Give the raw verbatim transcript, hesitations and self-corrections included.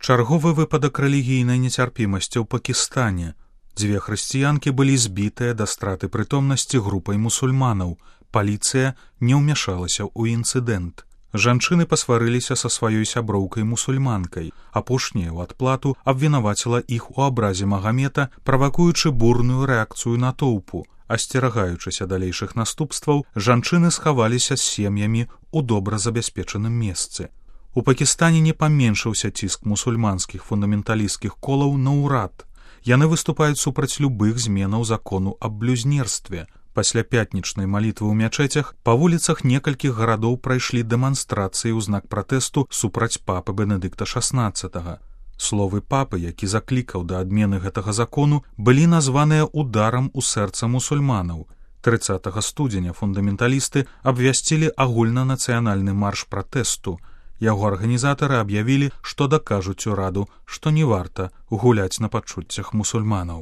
Чарговы выпадак рэлігійнай нецярпімасці ў Пакістане. Дзве хрысціянкі былі збітыя да страты прытомнасці групай мусульманаў. Паліцыя не ўмяшалася ў інцыдэнт. Жанчыны пасварыліся са сваёй сяброўкай-мусульманкай. Апошняя ў адплату абвінаваціла іх у абразе Магамета, правакуючы бурную рэакцыю натоўпу. Асцерагаючыся далейшых наступстваў, жанчыны схаваліся з сем'ямі ў добра забяспечаным месцы. У Пакістане не паменшыўся ціск мусульманскіх фундаменталісцкіх колаў на ўрад. Яны выступаюць супраць любых зменаў закону аб блюзнерстве. Пасля пятнічнай малітвы ў мячэцях па вуліцах некалькіх гарадоў прайшлі дэманстрацыі ў знак пратэсту супраць папы Бенедыкта шаснаццатага. Словы папы, які заклікаў да адмены гэтага закону, былі названыя ударам у сэрца мусульманаў. трыццатага студзеня фундаменталісты абвясцілі агульнанацыянальны марш пратэсту. Яго арганізатары аб'явілі, што дакажуць ураду, што не варта гуляць на пачуццях мусульманаў.